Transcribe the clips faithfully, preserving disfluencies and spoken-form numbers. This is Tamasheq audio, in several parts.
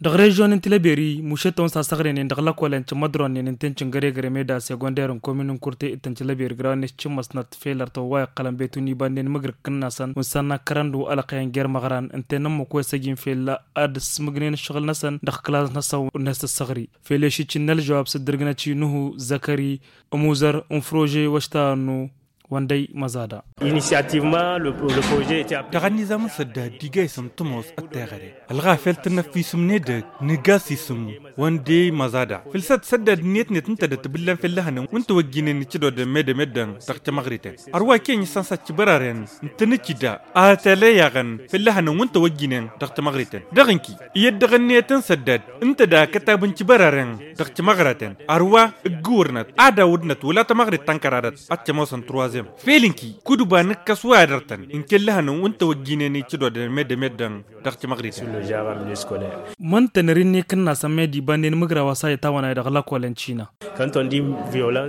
Dăɣ-režyon n-tilăberi mušet-tăn s-asăɣrenen dăɣ-lăkolen cǝmmădronnen ǝnta n-cǝngăregăre meda segonder n-komin n-kurte d-tăn-tilăberi gra-net cǝmmăsnăt fel ărtăwwa iqqălăn betun iba-nnen măgrǝk n-nasăn wǝnsan n-akkărăn d-wa ălăqyăn jer-măɣran ǝnta n-ămmăk wa s-ăjin fel ad-ǝssǝmǝgnen ǝššăɣǝl-năsăn dăɣ-klas-năsăn n-ăssăɣri. Fel ešǝcǝn n-ălžăwab s-ǝddǝrgǝnăt i-nuhu zăkări ămuzăr n-frože wa š-ta ănnu wăndăy măzada. Initiativement le projet. Dăɣ-ănnizam n-săddad d-iga isǝm tămoos ătteɣăre ălɣafel tǝnnăffisǝm n-edăgg nǝga s-isǝm wăndăy măzada fǝlsăt săddad ǝnniyăt-net ǝnta d-ătbǝllan fell-ehănăn wǝnta wăjjinen icǝdodăn medămedăn dăɣ-timăɣriten. Ărwa ken isănsăt cibăraren ǝntănăcida a tălăyaɣăn fell-ehănăn wǝnta wăjjinen dăɣ-timăɣriten dăɣ-inki iyyăt dăɣ-ǝnniyăt n-săddad ǝnta d-akătab n-cibăraren dăɣ-timăɣraten. Ărwa ǝggǝwărnăt ad-awǝdnăt wăla tamăɣrit ta n-kăradăt ad-t-ămoosăn truwazem fel ǝnki kud-uba nǝkkăs wa ad-ărtăn ǝnkel lăhănăn wǝnta wăjjinen icǝdodăn medămeddăn dăɣ-timăɣriten. Măntănăr-in n-ekǝnnasăn med ibannen mǝgraw a-s a itawănay dăɣ-lăkolen cina.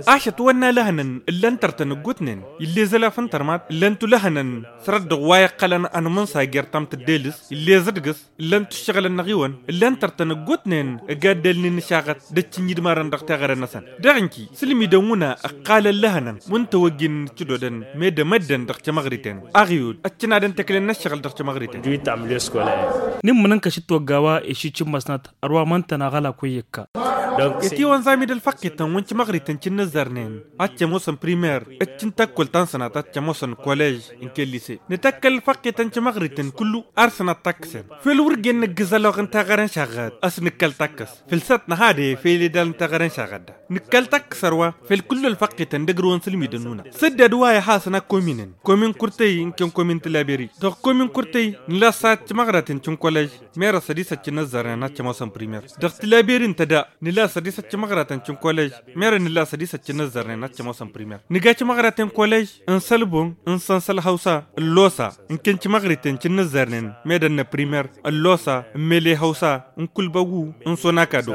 Ašăt wănna lăhănăn ǝllan tărtăn ǝggutnen ill'-e zălaf n-tărmat ǝllan-tu lăhănăn sărăt dăɣ-wa iqqălăn anmǝnsa jer-tamtǝddelǝs ill'-e zǝdgǝs ǝllan-tu ǝššăɣǝlăn-năɣ-iwăn ǝllan tărtăn ǝggutnen ăgaddălnen ǝšaɣăt d-ăččǝnjǝdmarăn dăɣ-teɣăre-năsăn. Dăɣ-inki sǝlmidăn wǝna ǝqqalăn lăhănăn wǝnta wăjjinen ǝccǝdodăn medămăddăn dăɣ-timăɣriten aɣyud ăččǝnadăn teklen n-ăššăɣǝl dăɣ-timăɣriten. N-immǝnǝnkăš d-toggawa ešǝcǝmmăsnăt ărwa măntăn aɣălak wa iyyăkka. Itiwăn zamid ălfăqqităn wăn timăɣriten cǝnnǝzzărnen ad-t-ămoosăn primer d-cǝntakkol ta n-sănat ad-t-ămoosăn kolež n-kel-lise. Nǝtăkkăl ălfăqqităn timăɣriten kullu ar sănat takkǝsen fel wăr gen nǝggǝz ălwăɣ n-teɣăre n-šaɣăt a-s nǝkkăl takkǝs fǝlsăt năhadăy fel edal n-teɣăre n-šaɣăt da. Nǝkkăl takkǝs ărwa fel kullu ălfăqqităn d-ăgrǝwăn sǝlmidăn nuna săddad wa ihasăn akkominen komin kurtăy n-ken komin tǝlaberi dăɣ-komin kurtăy nǝla s-ad-timăɣraten cǝnkolež merăs ădisăt cǝnnăzzărnen ad-cămoosăn primer. Dăɣ-tǝlaberi n-tăda nǝla s-ădisăt timăɣraten cǝnkolež merăs nǝla s-ădisăt cǝnnăzzărnen ad-cămoosăn primer. Nǝga timăɣraten kolež n-sălbun n-sănsăl hăwsa ăllosa n-ken timăɣriten cǝnnǝzzărnen medăn n-primer ăllosa n-mele hăwsa n-kulbăgu n-sona kado.